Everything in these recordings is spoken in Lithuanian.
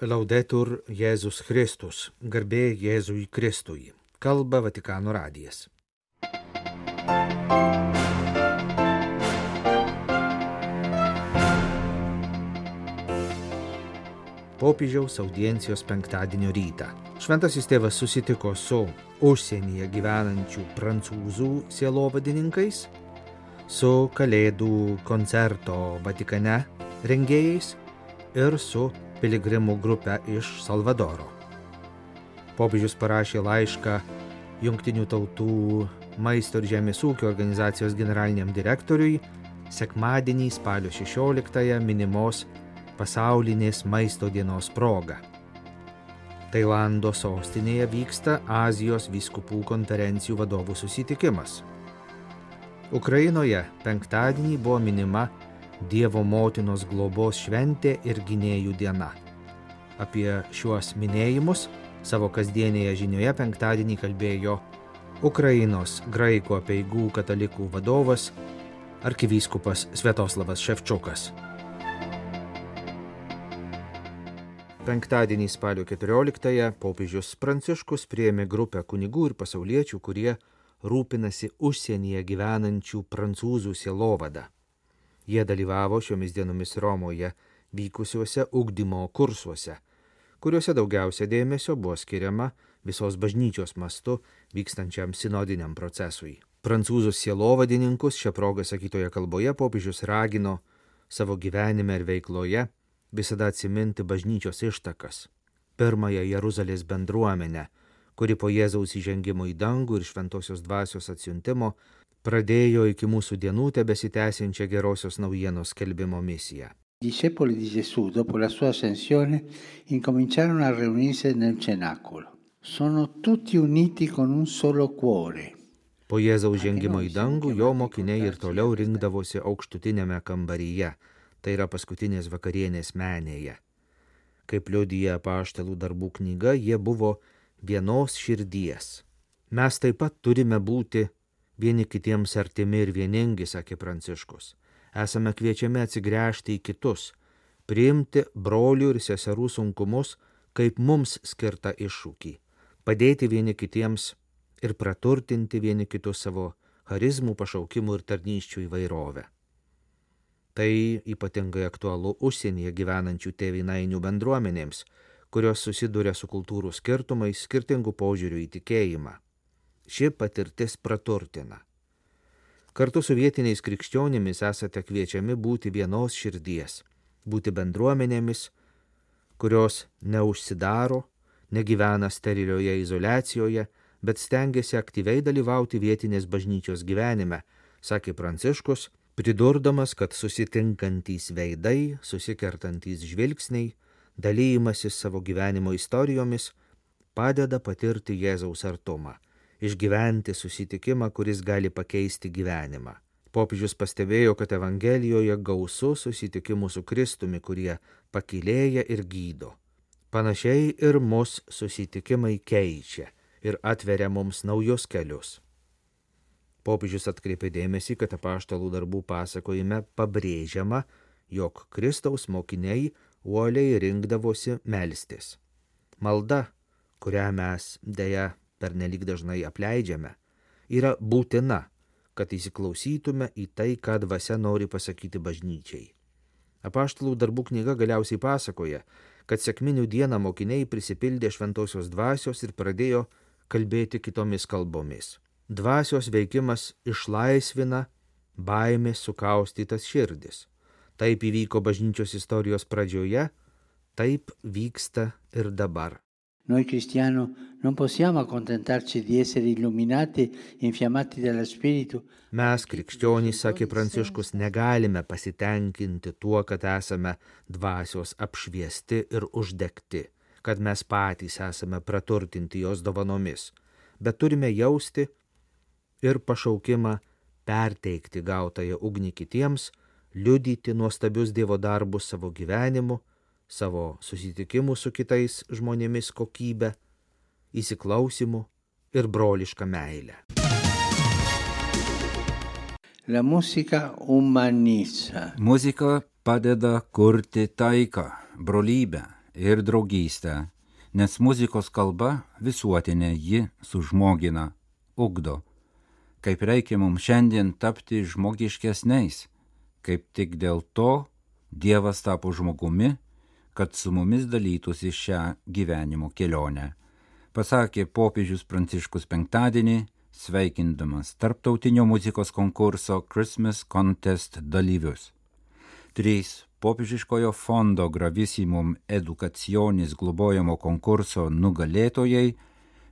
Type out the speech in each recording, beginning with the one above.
Laudetur Jėzus Kristus, garbė Jėzui Kristui, kalba Vatikano radijas. Popiežiaus audiencijos penktadienio rytą. Šventasis tėvas susitiko su užsienyje gyvenančių prancūzų sielovadininkais, su Kalėdų koncerto Vatikane rengėjais ir su piligrimų grupę iš Salvadoro. Popiežius parašė laišką Jungtinių tautų maisto ir žemės ūkio organizacijos generaliniam direktoriui sekmadienį spalio 16-ąją minimos pasaulinės maisto dienos proga. Tailando sostinėje vyksta Azijos vyskupų konferencijų vadovų susitikimas. Ukrainoje penktadienį buvo minima Dievo motinos globos šventė ir gynėjų diena. Apie šiuos minėjimus savo kasdienėje žinioje penktadienį kalbėjo Ukrainos graikų apeigų katalikų vadovas arkivyskupas Sviatoslavas Ševčukas. Penktadienį spalio 14-ąją popiežius Pranciškus priėmė grupę kunigų ir pasauliečių, kurie rūpinasi užsienyje gyvenančių prancūzų sielovada. Jie dalyvavo šiomis dienomis Romoje vykusiuose ugdymo kursuose, kuriuose daugiausia dėmesio buvo skiriama visos bažnyčios mastu vykstančiam sinodiniam procesui. Prancūzų sielovadininkus šią progą sakytoje kalboje popiežius ragino savo gyvenime ir veikloje visada atsiminti bažnyčios ištakas. Pirmąją Jeruzalės bendruomenę, kuri po Jėzaus įžengimo į dangų ir šventosios dvasios atsiuntimo pradėjo iki mūsų dienų tebesitęsiančią gerosios naujienos skelbimo misiją. Discepoli di Gesù, dopo la sua ascensione, incominciarono a riunirsi nel cenacolo. Sono tutti uniti con un solo cuore. Po Jėzaus žengimo į dangų jo mokiniai ir toliau rinkdavosi aukštutinėme kambaryje, tai yra paskutinės vakarienės menėje. Kaip liudija Apaštalų darbų knyga, jie buvo vienos širdies. Mes taip pat turime būti vieni kitiems artimi ir vieningi, sakė Pranciškus. Esame kviečiami atsigręžti į kitus, priimti brolių ir seserų sunkumus kaip mums skirtą iššūkį, padėti vieni kitiems ir praturtinti vieni kitus savo charizmų, pašaukimų ir tarnysčių įvairovę. Tai ypatingai aktualu užsienyje gyvenančių tėvynainių bendruomenėms, kurios susiduria su kultūrų skirtumais, skirtingų požiūrių į tikėjimą. Ši patirtis praturtina. Kartu su vietiniais krikščionimis esate kviečiami būti vienos širdies, būti bendruomenėmis, kurios neužsidaro, negyvena sterilioje izoliacijoje, bet stengiasi aktyviai dalyvauti vietinės bažnyčios gyvenime, sakė Pranciškus, pridurdamas, kad susitinkantys veidai, susikertantys žvilgsniai, dalyjimasis savo gyvenimo istorijomis padeda patirti Jėzaus artumą, išgyventi susitikimą, kuris gali pakeisti gyvenimą. Popiežius pastebėjo, kad Evangelijoje gausu susitikimų su Kristumi, kurie pakylėja ir gydo. Panašiai ir mus susitikimai keičia ir atveria mums naujus kelius. Popiežius atkreipė dėmesį, kad Apaštalų darbų pasakojime pabrėžiama, jog Kristaus mokiniai uoliai rinkdavosi melstis. Malda, kurią mes deja pernelyg dažnai apleidžiame, yra būtina, kad įsiklausytume į tai, ką dvasia nori pasakyti bažnyčiai. Apaštalų darbų knyga galiausiai pasakoja, kad sekminių dieną mokiniai prisipildė šventosios dvasios ir pradėjo kalbėti kitomis kalbomis. Dvasios veikimas išlaisvina baimės sukaustytas širdis. Taip įvyko bažnyčios istorijos pradžioje, taip vyksta ir dabar. Noi cristiani non possiamo accontentarci di essere illuminati e infiammati dallo Spirito. Mes, krikščionys, sakė Pranciškus, negalime pasitenkinti tuo, kad esame dvasios apšviesti ir uždegti, kad mes patys esame praturtinti jos dovanomis, bet turime jausti ir pašaukimą perteikti gautąją ugnį kitiems, liudyti nuostabius Dievo darbus savo gyvenimu, savo susitikimų su kitais žmonėmis kokybę, įsiklausimu ir brolišką meilę. La musica umanizza. Muzika padeda kurti taiką, brolybę ir draugystę, nes muzikos kalba visuotinė, ji sužmogina, ugdo. Kaip reikia mums šiandien tapti žmogiškesniais, kaip tik dėl to Dievas tapo žmogumi, kad su mumis dalytųsi šią gyvenimo kelionę, pasakė popiežius Pranciškus penktadienį, sveikindamas tarptautinio muzikos konkurso Christmas Contest dalyvius. 3 popiežiškojo fondo Gravissimum Educationis globojamo konkurso nugalėtojai,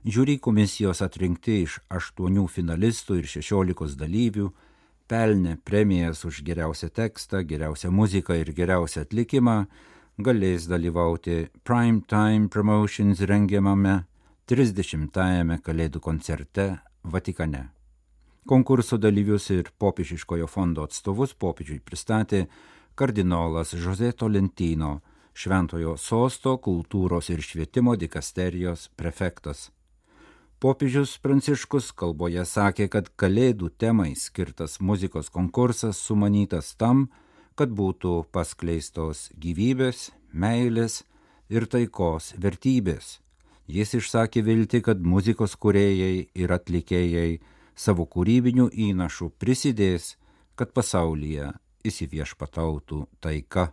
žiūri komisijos atrinkti iš 8 finalistų ir 16 dalyvių, pelnė premijas už geriausią tekstą, geriausią muziką ir geriausią atlikimą, galės dalyvauti Prime Time Promotions rengiamame 30-ajame Kalėdų koncerte Vatikane. Konkurso dalyvius ir popiežiškojo fondo atstovus popiežiui pristatė kardinolas José Tolentino, Šventojo sosto kultūros ir švietimo dikasterijos prefektas. Popiežius Pranciškus kalboje sakė, kad Kalėdų temai skirtas muzikos konkursas sumanytas tam, kad būtų paskleistos gyvybės, meilės ir taikos vertybės. Jis išsakė viltį, kad muzikos kūrėjai ir atlikėjai savo kūrybinių įnašų prisidės, kad pasaulyje įsiviešpatautų taika.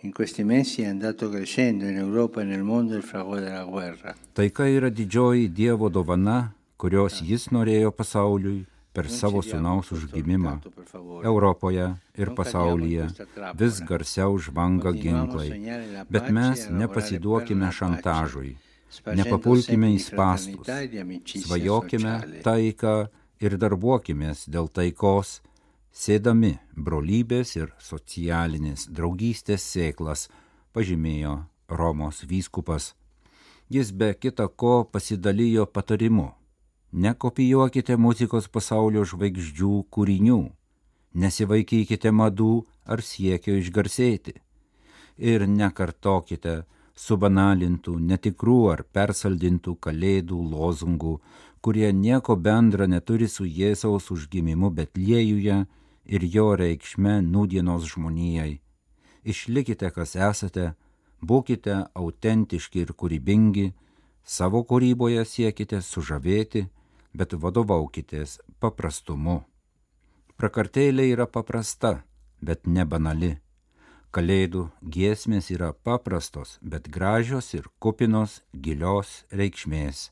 In questi mesi è andato crescendo in Europa e nel mondo il fragore della guerra. Taika yra didžioji Dievo dovana, kurios jis norėjo pasauliui per savo sūnaus užgimimą. Europoje ir pasaulyje vis garsiau žvanga ginklai, bet mes nepasiduokime šantažui. Nepapulkime į spąstus, svajokime taiką ir darbuokimės dėl taikos, sėdami brolybės ir socialinės draugystės sėklas, pažymėjo Romos vyskupas. Jis be kita ko pasidalijo patarimu: nekopijuokite muzikos pasaulio žvaigždžių kūrinių, nesivaikykite madų ar siekio išgarsėti ir nekartokite subanalintų, netikrų ar persaldintų kalėdų lozungų, kurie nieko bendra neturi su Jėzaus užgimimu Betliejuje ir jo reikšme nūdienos žmonijai. Išlikite, kas esate, būkite autentiški ir kūrybingi, savo kūryboje siekite sužavėti, bet vadovaukitės paprastumu. Prakartėlė yra paprasta, bet ne banali. Kalėdų giesmės yra paprastos, bet gražios ir kupinos gilios reikšmės.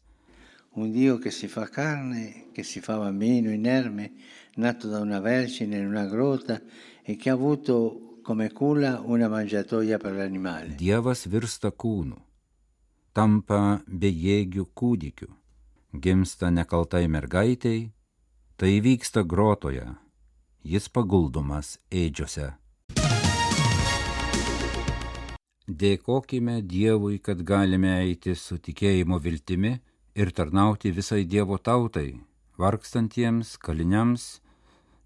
Un Dio che si fa carne, che si fa bambino inerme, nato da una vergine in una grotta e che ha avuto come culla una mangiatoia per l'animale. Dievas virsta kūnu, tampa bejėgių kūdikiu, gimsta nekaltai mergaitei, tai vyksta grotoje, jis paguldomas ėdžiose. Dėkokime Dievui, kad galime eiti su tikėjimo viltimi ir tarnauti visai Dievo tautai, vargstantiems, kaliniams,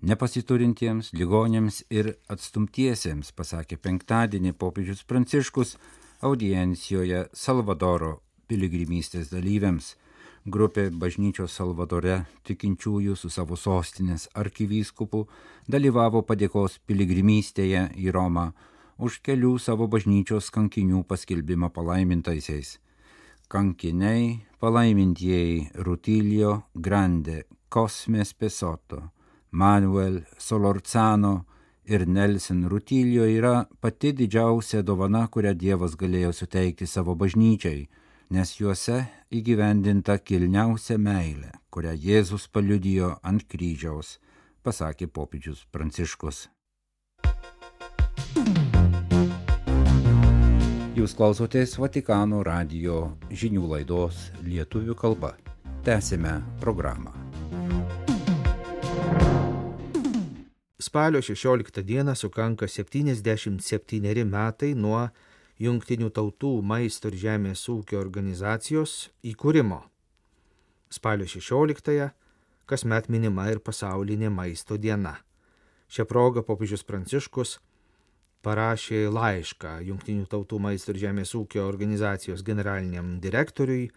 nepasiturintiems, ligonėms ir atstumtiesiems, pasakė penktadienį popiežius Pranciškus audiencijoje Salvadoro piligrimystės dalyviams. Grupė bažnyčios Salvadore tikinčiųjų su savo sostinės arkivyskupu dalyvavo padėkos piligrimystėje į Romą už kelių savo bažnyčios kankinių paskelbimą palaimintaisiais. Kankiniai palaimintieji Rutilio Grande, Cosme Spesotto, Manuel Solorzano ir Nelson Rutilio yra pati didžiausia dovana, kurią Dievas galėjo suteikti savo bažnyčiai, nes juose įgyvendinta kilniausia meilė, kurią Jėzus paliudijo ant kryžiaus, pasakė popiežius Pranciškus. Jūs klausotės Vatikano radijo žinių laidos lietuvių kalba. Tęsime programą. Spalio 16 dieną sukanka 77 metai nuo Jungtinių tautų maisto ir žemės ūkio organizacijos įkūrimo. Spalio 16 kasmet minima ir pasaulinė maisto diena. Šią progą popiežius Pranciškus parašė laišką Jungtinių tautų maisto ir žemės ūkio organizacijos generaliniam direktoriui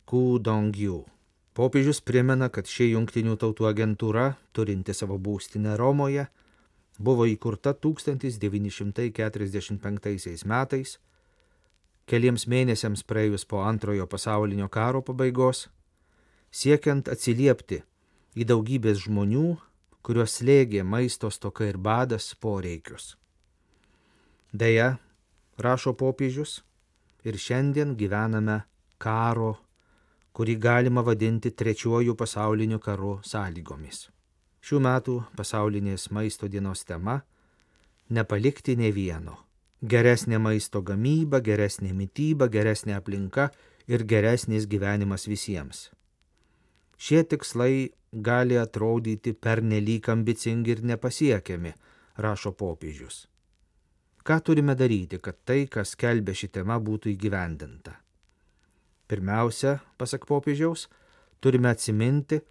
Ku Dongju. Popiežius primena, kad ši Jungtinių tautų agentūra, turinti savo būstinę Romoje, buvo įkurta 1945 metais, keliems mėnesiams praėjus po Antrojo pasaulinio karo pabaigos, siekiant atsiliepti į daugybės žmonių, kuriuos slėgė maisto stoka ir badas poreikius. Deja, rašo popiežius, ir šiandien gyvename karo, kurį galima vadinti Trečiuoju pasauliniu karu sąlygomis. Šių metų pasaulinės maisto dienos tema – nepalikti nė vieno. Geresnė maisto gamyba, geresnė mityba, geresnė aplinka ir geresnis gyvenimas visiems. Šie tikslai gali atrodyti pernelyg ambicingi ir nepasiekiami, rašo popiežius. Ką turime daryti, kad tai, kas skelbia ši tema, būtų įgyvendinta? Pirmiausia, pasak popiežiaus, turime atsiminti,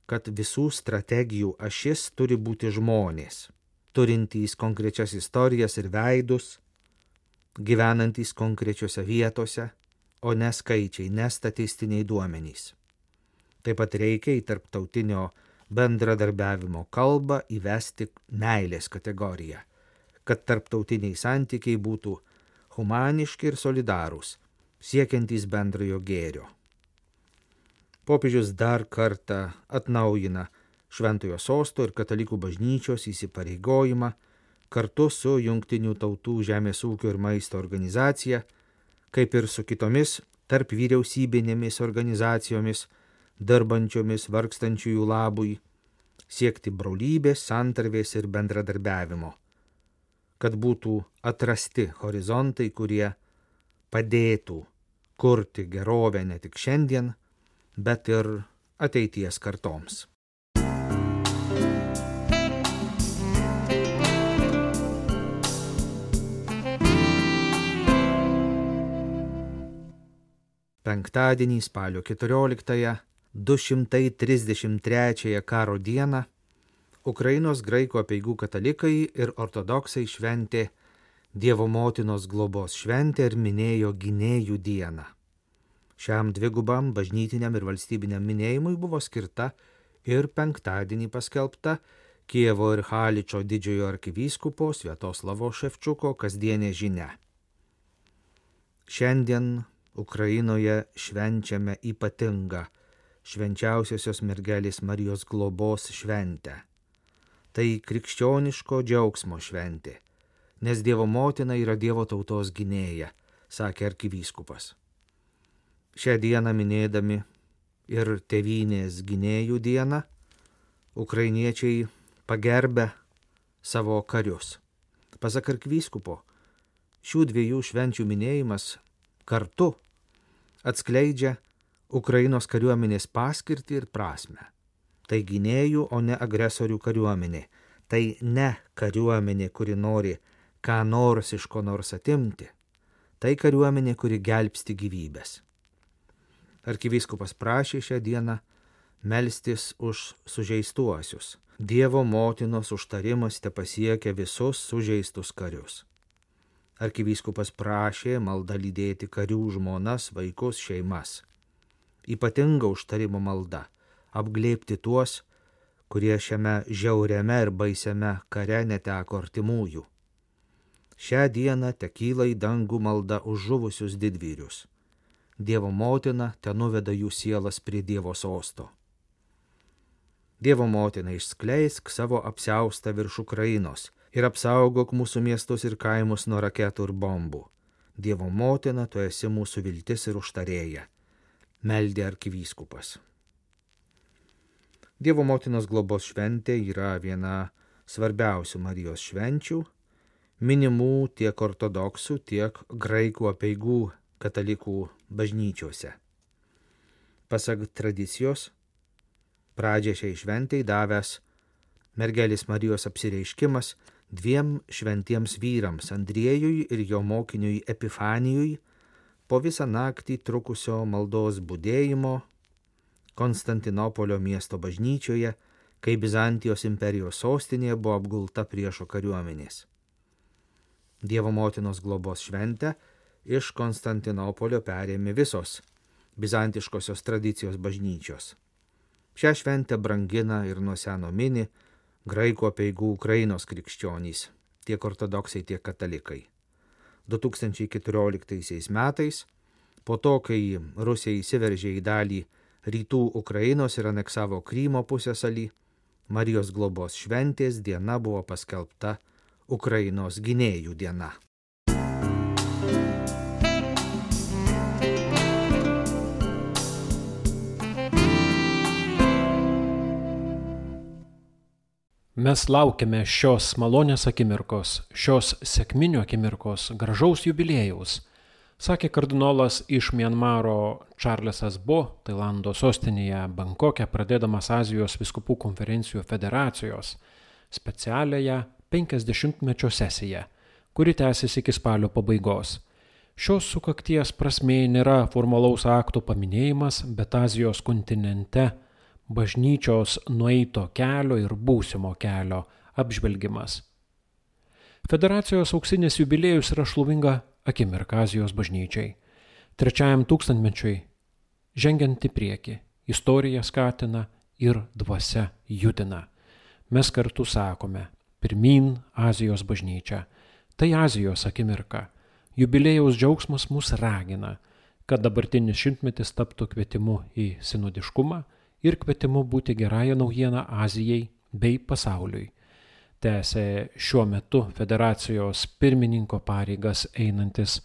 kad visų strategijų ašis turi būti žmonės, turintys konkrečias istorijas ir veidus, gyvenantys konkrečiose vietose, o ne skaičiai, ne statistiniai duomenys. Taip pat reikia į tarptautinio bendradarbiavimo kalbą įvesti meilės kategoriją, kad tarptautiniai santykiai būtų humaniški ir solidarūs, siekiantys bendrojo gėrio. Popiežius dar kartą atnaujina Šventojo sosto ir katalikų bažnyčios įsipareigojimą kartu su Jungtinių tautų žemės ūkio ir maisto organizacija, kaip ir su kitomis tarp vyriausybinėmis organizacijomis, dirbančiomis vargstančiųjų labui, siekti brolybės, santarvės ir bendradarbiavimo, kad būtų atrasti horizontai, kurie padėtų kurti gerovę ne tik šiandien, bet ir ateities kartoms. Penktadienį spalio 14-ąją, 233 karo dieną, Ukrainos graikų apeigų katalikai ir ortodoksai šventė Dievo motinos globos šventę ir minėjo gynėjų dieną. Šiam dvigubam bažnytiniam ir valstybiniam minėjimui buvo skirta ir penktadienį paskelbta Kijevo ir Haličo didžiojo arkivyskupo Sviatoslavo Ševčiuko kasdienė žinia. Šiandien Ukrainoje švenčiame ypatingą švenčiausiosios mergelės Marijos globos šventę. Tai krikščioniško džiaugsmo šventė, nes Dievo motina yra Dievo tautos gynėja, sakė arkivyskupas. Šią dieną minėdami ir tėvynės gynėjų dieną, ukrainiečiai pagerbė savo karius. Pasak arkivyskupo, šių dviejų švenčių minėjimas kartu atskleidžia Ukrainos kariuomenės paskirtį ir prasmę. Tai gynėjų, o ne agresorių kariuomenė. Tai ne kariuomenė, kuri nori ką nors iš ko nors atimti. Tai kariuomenė, kuri gelbsti gyvybės. Arkivyskupas prašė šią dieną melstis už sužeistuosius. Dievo motinos užtarimas tepasiekia visus sužeistus karius. Arkivyskupas prašė maldą lydėti karių žmonas, vaikus, šeimas. Ypatinga užtarimo malda – apglėbti tuos, kurie šiame žiauriame ir baisiame kare neteko artimųjų. Šią dieną tekyla į dangų malda už žuvusius didvyrius. Dievo motina tenuveda jų sielas prie Dievo sosto. Dievo motina, išskleisk savo apsiaustą virš Ukrainos ir apsaugok mūsų miestus ir kaimus nuo raketų ir bombų. Dievo motina, tu esi mūsų viltis ir užtarėja, meldė arkivyskupas. Dievo motinos globos šventė yra viena svarbiausių Marijos švenčių, minimų tiek ortodoksų, tiek graikų apeigų katalikų bažnyčiose. Pasak tradicijos, pradžią šiai šventei davęs mergelės Marijos apsireiškimas dviem šventiems vyrams, Andriejui ir jo mokiniui Epifanijui, po visą naktį trukusio maldos budėjimo Konstantinopolio miesto bažnyčioje, kai Bizantijos imperijos sostinė buvo apgulta priešo kariuomenės. Dievo motinos globos šventę iš Konstantinopolio perėmė visos bizantiškosios tradicijos bažnyčios. Šią šventę brangina ir nuo seno mini graikų apeigų Ukrainos krikščionys, tiek ortodoksai, tiek katalikai. 2014 metais, po to, kai Rusija įsiveržė į dalį rytų Ukrainos ir aneksavo Krymo pusiasalį, Marijos globos šventės diena buvo paskelbta Ukrainos gynėjų diena. Mes laukiame šios malonės akimirkos, šios sekminių akimirkos, gražaus jubiliejaus, sakė kardinolas iš Mianmaro Čarlesas Bo, Tailando sostinėje Bankoke, pradėdamas Azijos vyskupų konferencijų federacijos specialiąją 50-mečio sesiją, kuri tęsiasi iki spalio pabaigos. Šios sukakties prasmė nėra formalaus akto paminėjimas, bet Azijos kontinente bažnyčios nueito kelio ir būsimo kelio apžvelgimas. Federacijos auksinis jubiliejus yra šlovinga akimirka Azijos bažnyčiai. 3 tūkstantmečiui žengiant į priekį, istorija skatina ir dvasia judina. Mes kartu sakome, pirmyn Azijos bažnyčia. Tai Azijos akimirka. Jubiliejaus džiaugsmas mus ragina, kad dabartinis šimtmetis taptų kvietimu į sinodiškumą ir kvietimu būti gerąją naujieną Azijai bei pasauliui. Tęsė šiuo metu federacijos pirmininko pareigas einantis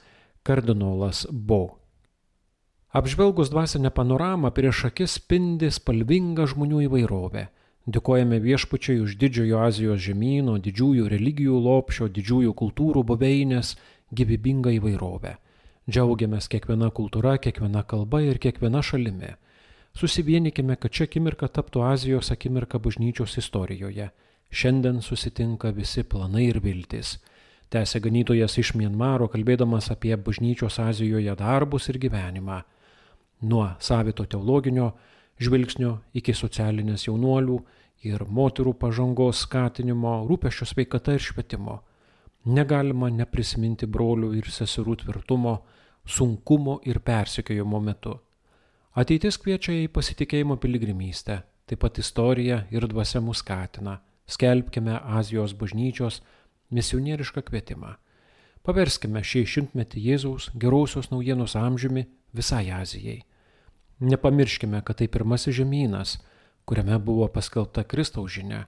kardinolas Bo. Apžvelgus dvasinę panoramą, prieš akis spindi spalvinga žmonių įvairovė. Dėkojame Viešpačiui už didžiojo Azijos žemyno, didžiųjų religijų lopšio, didžiųjų kultūrų buveinės gyvybingą įvairovę. Džiaugiamės kiekviena kultūra, kiekviena kalba ir kiekviena šalimi. Susivienikime, kad ši akimirka taptų Azijos akimirka bažnyčios istorijoje. Šiandien susitinka visi planai ir viltis. Tęsė ganytojas iš Mianmaro, kalbėdamas apie bažnyčios Azijoje darbus ir gyvenimą. Nuo savito teologinio žvilgsnio iki socialinės jaunuolių ir moterų pažangos skatinimo, rūpesčio sveikata ir švietimo. Negalima neprisiminti brolių ir seserų tvirtumo, sunkumo ir persekiojimo metu. Ateitis kviečia į pasitikėjimo piligrimystę, taip pat istorija ir dvasia mus skatina. Skelbkime Azijos bažnyčios misionierišką kvietimą. Paverskime šį šimtmetį Jėzaus gerosios naujienos amžiumi visai Azijai. Nepamirškime, kad tai pirmasis žemynas, kuriame buvo paskelbta Kristaus žinia.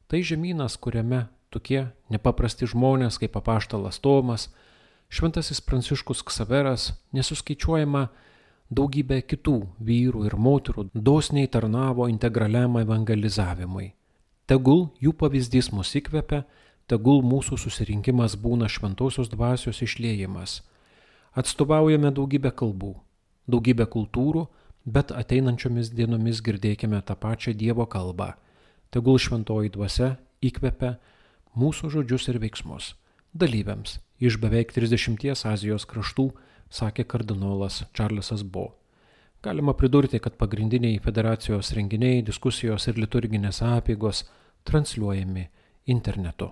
Tai žemynas, kuriame tokie nepaprasti žmonės kaip apaštalas Tomas, šventasis Pranciškus Ksaveras, nesuskaičiuojama daugybė kitų vyrų ir moterų dosniai tarnavo integraliam evangelizavimui. Tegul jų pavyzdys mus įkvepia, tegul mūsų susirinkimas būna šventosios dvasios išliejimas. Atstovaujame daugybę kalbų, daugybę kultūrų, bet ateinančiomis dienomis girdėkime tą pačią Dievo kalbą. Tegul šventoji dvasia įkvepia mūsų žodžius ir veiksmus. Dalyviams iš beveik 30 Azijos kraštų, sakė kardinolas Čarlesas Bo. Galima pridurti, kad pagrindiniai federacijos renginiai, diskusijos ir liturginės apeigos transliuojami internetu.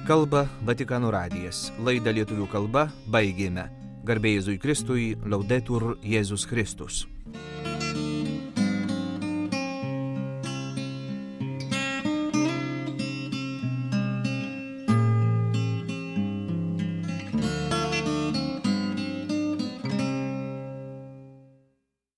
Kalba Vatikano radijas. Laidą lietuvių kalba baigėme. Garbė Jėzui Kristui, Laudetur Jėzus Kristus.